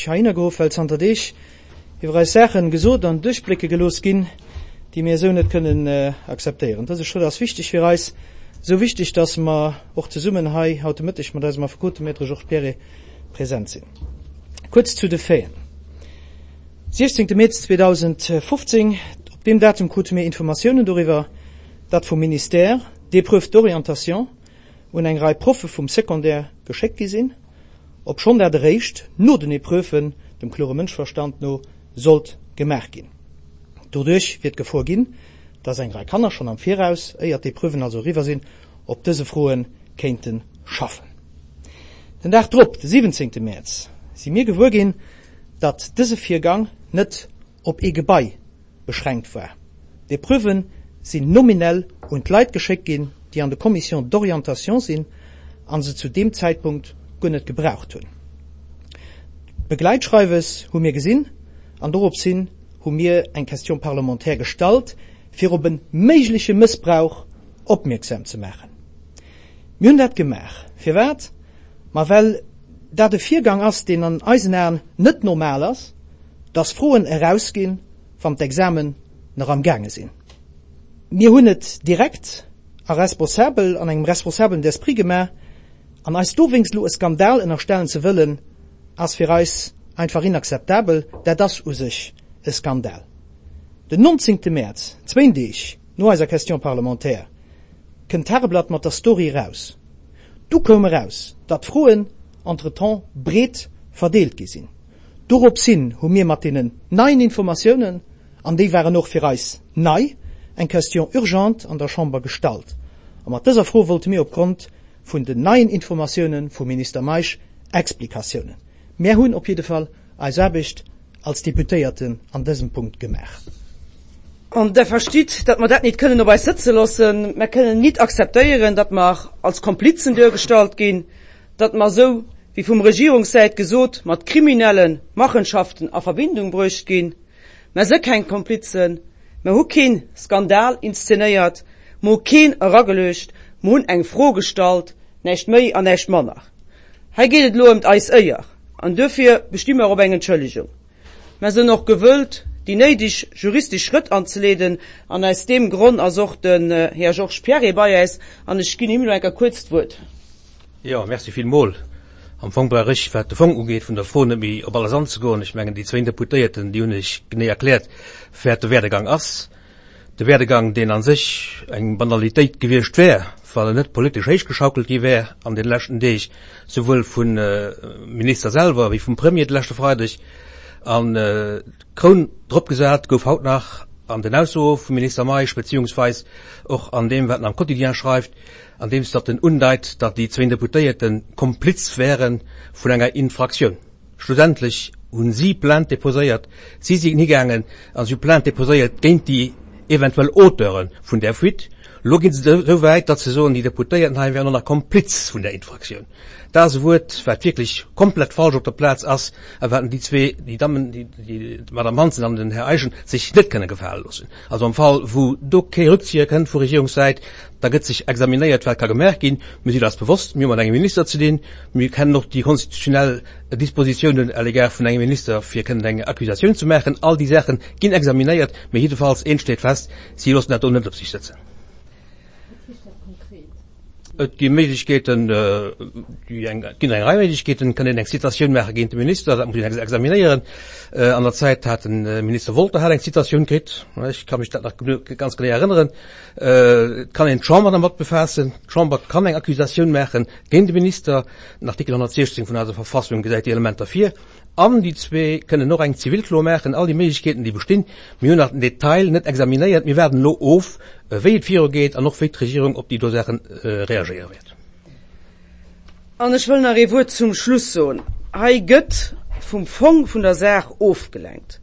heihinner geruff, well zanter Deeg iwwer eis Saachen gesot an duerchblécke gelooss ginn, déi mir esou net kënnen akzeptéieren. Dëse Schrëtt ass wichteg fir eis, esou wichteg, dass mer och zesummen hei haut de Mëtteg mat eisem Affekot, dem Maître Georges Pierret, present sinn. Kuerz zu de Faiten. 16 Mäerz 2015, Op deem Datum krute mir Informatiounen doriwwer, datt vum Ministère d'Épreuves d'orientation un eng Rei Proffe vum Secondaire geschéckt gi sinn, obschonn dat eréischt no den Epreuven, dem klore Mënschverstand no, sollt gemaach ginn. Doduerch wier d'Gefor ginn, datt eng Rei Kanner schonn am Viraus, éier d'Epreuven also eriwwer sinn, op dëse Froe kéinte schaffen. Den Dag drop, de 17 Mäerz, si mir gewuer ginn, datt dëse Virgang net op ee Gebai beschränkt war. D'Epreuven sinn nominell un d'Leit geschéckt ginn, déi an de Commissions d'orientation sinn a se zu deem Zäitpunkt guer net gebraucht hunn. D'Begleitschreiwes hu mir gesinn an dorops hin hu mir eng Question parlementaire gestallt, fir op e méigleche Mëssbrauch opmierksam ze maachen. Mir hunn dat gemaach. Firwat? Ma well dat e Virgang ass, deen an eisen Aen net normal ass, dass Froen erausginn, wann d'Examen nach am gaange sinn. Mir hunn et direkt a responsabel, an engem responsabelen Esprit gemaach, an eis dowéinst elo e Skandal ënnerstellen ze wëllen, ass fir eis einfach inakzeptabel. Dat ass u sech e Skandal. Den 19. Mäerz, zwéin Deeg no eiser Question parlementaire, kënnt d'Tageblatt mat der Story eraus. Du koum eraus, datt d'Froen entretemps breet verdeelt gi sinn. Dorops hin hu mir mat deenen neien Informatiounen, an déi waren och fir eis nei, eng Question urgente an der Chamber gestallt. A mat dëser Fro wollte mir opgrond vun den neien Informatiounen vum Minister Meisch Explikatiounen. Mär hunn op jidde Fall eis Aarbecht als Deputéierten an dësem Punkt gemaach. An Der verstitt, datt mer dat nit kënnen op eis sëtze loossen. Mer kënnen nit akzeptéieren, datt mer als Komplizen duergestallt ginn, datt mer esou wéi vum Regierungssäit gesot mat kriminelle Machenschaften a Verbindung bruecht ginn. Mer si keng Komplizen, mer hu kee Skandal inszenéiert, mer hu keen erageluecht, mer hunn eng Fro gestallt, näischt méi an näischt manner. Hei geet et elo ëmt eis Éier an duerfir besti mer op eng Entschëllegung. Mer sënn och gewëllt, déi néideg juristesch Schrëtt anzeleeden an aus deem Gronn ass och den Här Georges Pierret bei äis an ech ginn him elo eng Kéier kuerz d'Wuert. Jo, merci villmol. Am Fong brauch ech, wat de Fong ugeet vun der Fro, net méi op alles anzegoen. Ech mengen, déi zwéin Deputéierten, déi hunn lech genee erkläert, wat de Werdegang ass. De Werdegang, deen a sech eng Banalitéit gewiescht wär, wann en net politesch héichgeschaukelt gi wär an de leschten Deeg, souwuel vum Minister selwer wéi vum Premier de leschte Freideg. An d'Kroun drop gesat gouf haut nach an den Aussoe vum Minister Meisch, beziehungsweis och an deem, wat en am Quotidien schreift, andeems datt en undeit, datt déi zwéin Deputéierte Kompliz wäre vun enger Infraktioun. Schlussendlech hu si Plainte deposéiert, si sinn higaangen a si hu Plainte deposéiert géint déi eventuell Auteure vun där Fuite. Elo gi se esou wäit, datt se soen, déi Deputéierten hei wären och nach Kompliz vun där Infraktioun. Dat ass e Wuert, wat wierklech komplett falsch op der Plaz ass a wat déi zwee, déi Dammen, d'Madame Hansen an den Här Eischen, sech net kënne gefale loossen. Also am Fall, wou do kee Rückzieher kënnt vu Regierungssäit, da gëtt sech examinéiert, wat ka gemaach ginn. Mir sinn eis bewosst, mir hu mat engem Minister ze dinn. Mir kennen och déi konstitutionell Dispositiounen à l'égard vun engem Minister, fir kënnen eng Accusatioun ze maachen. All déi Saache ginn examinéiert. Mee jiddefalls, eent steet fest, Si loossen dat do net op sech sëtzen. Wat heescht dat konkret? Et gi Méiglechkeeten, et ginn eng Rei Méiglechkeeten. Et kann een eng Citatioun maache géint de Minister, dat muss een examinéieren. An der Zäit hat de Minister Wolter hat eng Citatioun kritt, ech ka mech dat nach ganz genee erënneren. Et kann een d'Chamber dermat befaassen. D'Chamber kann eng Accusatioun maache géint de Minister. Den Artikel 116 vun eiser Verfassung gesäit déi Elementer vir. An déi zwee kënnen och eng Zivilklo maachen. All déi Méiglechkeeten, déi bestinn. Mir hunn nach den Detail net examinéiert. Mir waarden elo of, wéi et virugeet an och wéi d'Regierung op déi do Saache reagéiere wäert. An ech wëll nach ee Wuert zum Schluss soen. Hei gëtt vum Fong vun der Saach ofgelenkt.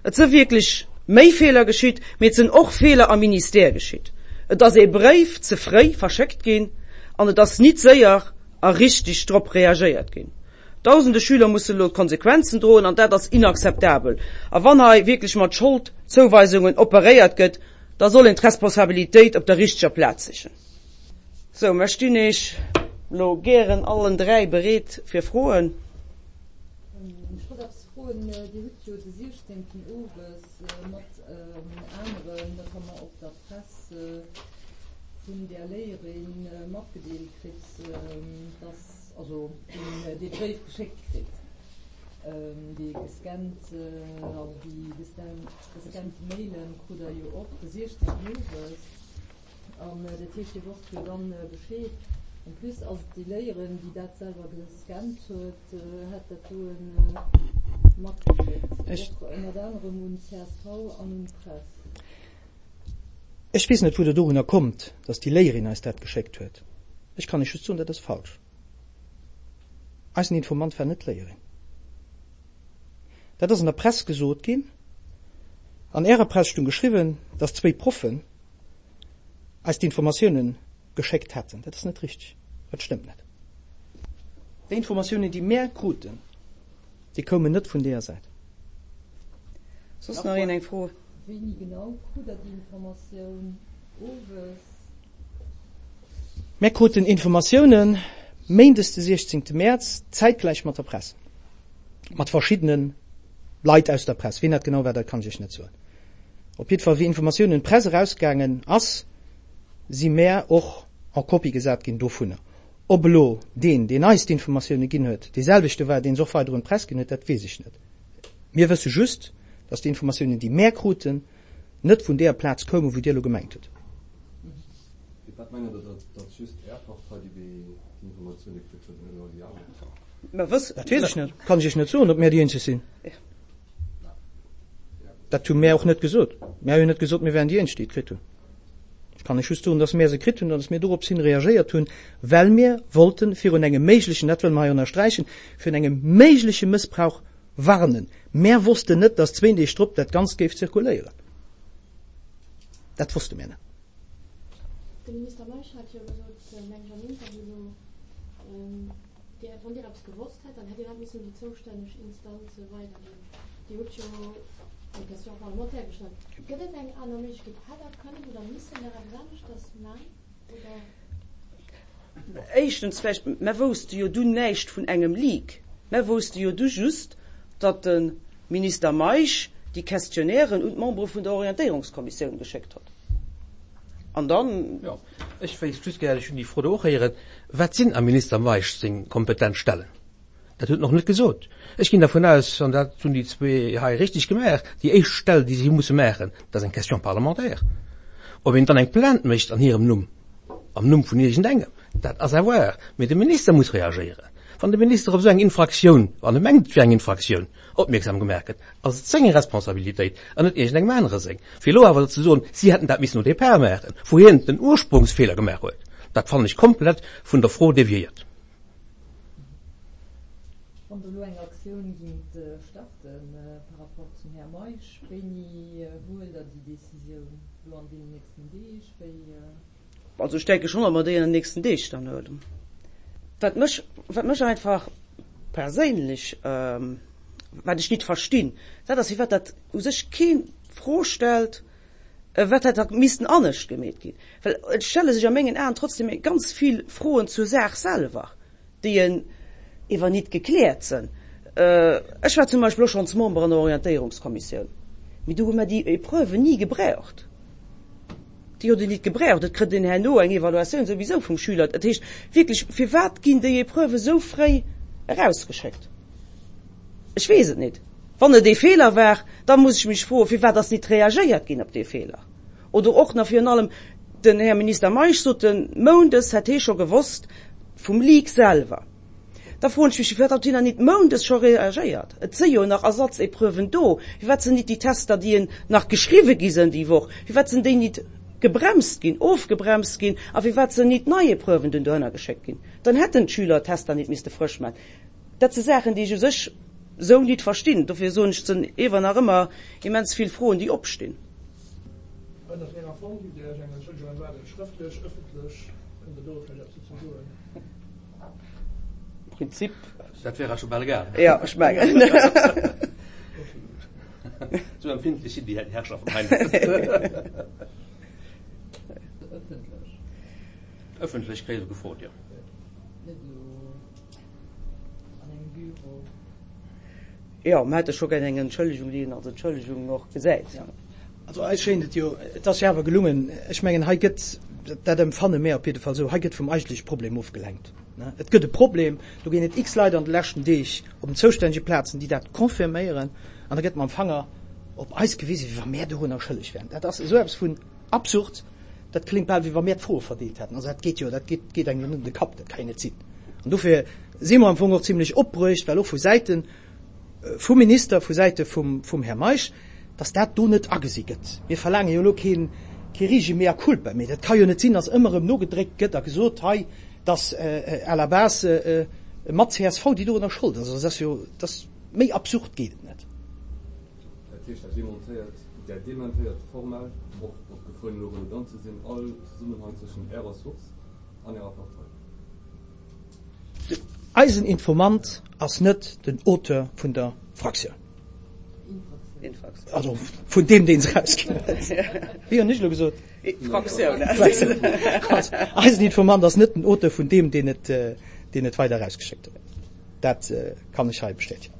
Et si wierklech méi Feeler geschitt, mee et sinn och Feeler am Ministère geschitt. Et ass ee Bréif ze fréi verschéckt ginn an et ass nit séier a richtig drop reagéiert ginn. Dausende Schüler mussen elo d'Konsequenzen droen an dat ass inakzeptabel. A wann hei wierklech mat Scholdzouweisungen operéiert gëtt, da soll een d'Responsabilitéit op der richteger Plaz sichen. Sou, mer stinn Iech elo gären allen 3 bereet fir Froen. wollt eppes froen. Dir hutt jo de 16. owes mat aneren, notamment och der Press, vun där Léierin matgedeelt kritt, dass, also dee Bréif geschéckt kritt, dee gescannt, also déi gescannte Mailen krut Der jo och de 16. owes. An dat heescht, Dir wosst jo dann Bescheed. En plus ass et déi Léierin, déi dat selwer gescannt huet, hat dat doe matgeschéckt, och ënnert anerem un csv an un d'Press. Ech weess net, wou Der dorunner kommt, dass déi Léierin eis dat geschéckt huet. Ech kann Iech just soen, dat ass falsch. Eisen Informant war net d'Léierin. Dat ass an der Press gesot ginn. An Ärer Press stung geschriwwen, dass zwéi Proffen eis d'Informatiounen geschéckt hätten. Dat ass net richteg. Dat stëmmt net. Déi Informatiounen, déi mär kruten, déi koumen net vun deeër Säit. Soss nach een eng Fro? Wéini genau krut Der déi Informatioun? Owes? Mär kruten Informatiounen méindes de 16 Mäerz, zäitgläich mat der Press, mat verschiddene Leit aus der Press. Wien dat genau war, dat kann ech Iech net soen. Op jiddwer Fall, wéi Informatioun un d'Press erausgaangen ass, si mär och en copie gesat ginn dovunner. Ob elo deen, deen eis d'Informatioune ginn huet, dee selwechte war, deen se och weider un d'Press ginn huet, dat weess ech net. Mir wësse just, dass déi Informatiounen, déi mär kruten, net vun deeër Plaz koumen, wou Dir elo gemengt hutt. Firwat mengt Der, datt just Är Partei déi Informatioune kritt huet an net all déi aner? Dat weess ech net. Kann ech Iech net soen, ob mär déi eenzeg sinn. Dat hu mär och net gesot. Mär hu jo net gesot, mir wären déi Eenzeg, déi et kritt hunn. Ech kann lech just soen, dass mär se kritt hunn an dass mir dorops hin reagéiert hunn, well mir wollte virun engem méiglechen, dat wëlle mer hei ënnersträichen, virun engem méigleche Mëssbrauch warnen. Mär wossten net, dass zwéin Deeg drop dat Ganzt géif zirkuléieren. Dat wosste mär net. De Minister Meisch hat jo gesot, meng ech am Interview elo, Dir, wann Dir eppes gewosst hätt, dann hätt Dir dat missen un déi zoustänneg Instanze weiderginn. Dir hutt jo eng Question parlementaire gestallt. Gëtt et eng aner Méiglechkeet? Hätt Der kënnen oder missen nach eppes aneschters man, oder? Éischtens vläicht, mer wousste jo dunn näischt vun engem Leak. Mer wousste jo du just, datt de Minister Meisch déi Questionnairen un d'Membere vun der Orientéierungskommissioun geschéckt hott. An dann. Jo, ech wéisst just gär, ech hunn déi Fro do och héieren, Wat sinn am Minister Meisch seng kompetent Stellen? Dat huet en och net gesot. Ech ginn dervun aus, an dat hunn déi zwee hei richtig gemaach, déi éischt Stell, déi si musse maachen, dat ass eng Question parlementaire. Ob een dann eng Plainte mécht an hirem Numm, am Numm vun iergendengem, dat ass à voir. Mee de Minister muss reagéieren. Wann de Minister op esou eng Infraktioun, wann e mengt, et wier eng Infraktioun, opmierksam gemaach gëtt, ass et seng Responsabilitéit an net iergendengem anere seng. Fir elo awer ze soen, si hätten dat missen au départ maachen, wou hien den Ursprungsfeeler gemaach huet, dat fannen ech komplett vun der Fro deviéiert. Wann Der elo eng Aktioun gingt starten par rapport zum Här Meisch, wéini huelt Der déi Décisioun? Elo an deenen nächsten Deeg? Wéi? Also ech denke schonn, datt mer déi an den nächsten Deeg dann huelen. Wat mech, wat mech einfach perséinlech, wat ech nit verstinn, dat ass, firwat dat u sech keen d'Fro stellt, wat hätt da missten anescht gemeet ginn. Well et stelle sech a mengen Aen trotzdem ganz vill Froen zur Saach selwer. déi en ewer nit gekläert sënn. Ech war zum Beispill och schonns Member an der Orientéierungskommissioun, mee do hu mer déi Épreuven ni gebräucht. Déi huet een nit gebräucht. Et kritt een herno eng Evaluatioun souwisou vum Schüler. Dat heescht wierklech, firwat ginn déi Épreuven esou fréi erausgeschéckt? Ech weess et nit. Wann et ee Feeler war, da muss ech mech froen, firwat ass nit reagéiert ginn op dee Feeler? Oder och nach virun allem, den Här Minister Meisch sot, de Moundes hätt hee scho gewosst vum Leak selwer. Da froen ech mech, firwat huet hien dann nit moundes scho reagéiert? Et si jo nach Ersatzepreuven do. Firwat sinn nit déi Tester, déi en nach geschriwwe gi sinn déi Woch, firwat sinn déi nit gebremst ginn, ofgebremst ginn a firwat sinn nit nei Epreuven dunn dohinner geschéckt ginn? Dann hätten d'Schüler d'Tester nit misste frësch maachen. Dat si Saachen, déi ech u sech esou nit verstinn. Dofir soen ech, et sinn ewer nach ëmmer immens vill Froen, déi opstinn. Ënnert Ärer Form gitt Dir Iech eng Entschëllegung erwaarden, schrëftlech, ëffentlech? Kënnt Der do vläicht eppes dozou soen? Am Prinzip. Dat wär eis scho bal egal. Jo, ech mengen. Esou empfindlech sinn déi Herrschaften hei net. Ëffentlech? Ëffentlech kréie se gefrot, jo. Net elo an engem Büro? Jo, mer hätte scho gär eng Entschëllegung, déi een als Entschëllegung och gesäit. Also eis schéint et jo, et ass jo awer gelungen, ech mengen hei gëtt, dat empfanne mär op jidde Fall esou, hei gëtt vum eigentleche Problem ofgelenkt. Et gëtt e Problem, do ginn et x Leit an de leschten Deeg op den zoustännege Plazen, déi dat confirméieren, an da gëtt mam Fanger op eis gewisen, wéi wa mär dorunner schëlleg wären. Dat ass esou eppes vun absurd, dat kléngt bal, wéi wa mär d'Froe verdeelt hätten. Also dat geet jo, dat geet, geet engem jo net an de Kapp, dat ka jo net sinn. An dofir si mer am Fong och zimlech opbruecht, well och vu Säite vum Minister, vu Säite vum, vum Här Meisch, dass dat do net agesi gëtt. Mir verlaange jo elo keen, kee riiche Mea culpa, mee dat ka jo net sinn, dass ëmmer erëm nogedréckt gëtt a gesot, hei, dass à la base mat csv déi dorunner Schold ass. Also dat ass jo, dat ass, méi absurd geet et net. Dat heescht, dat demontéiert, Der dementéiert formell, och op d'Gefor hin elo redundant ze sinn, all Zesummenhang zwëschen Ärer Source an Ärer Partei. Eisen Informant ass net den Auteur vun der Fraktioun. Also vun deem, deen se erausginn huet. Wéi hunn ech elo gesot? Fraktioun. Eisen Informant ass net den Auteur vun deem, deen et, deen et weider erausgeschéckt huet. Dat kann ech hei bestätegen.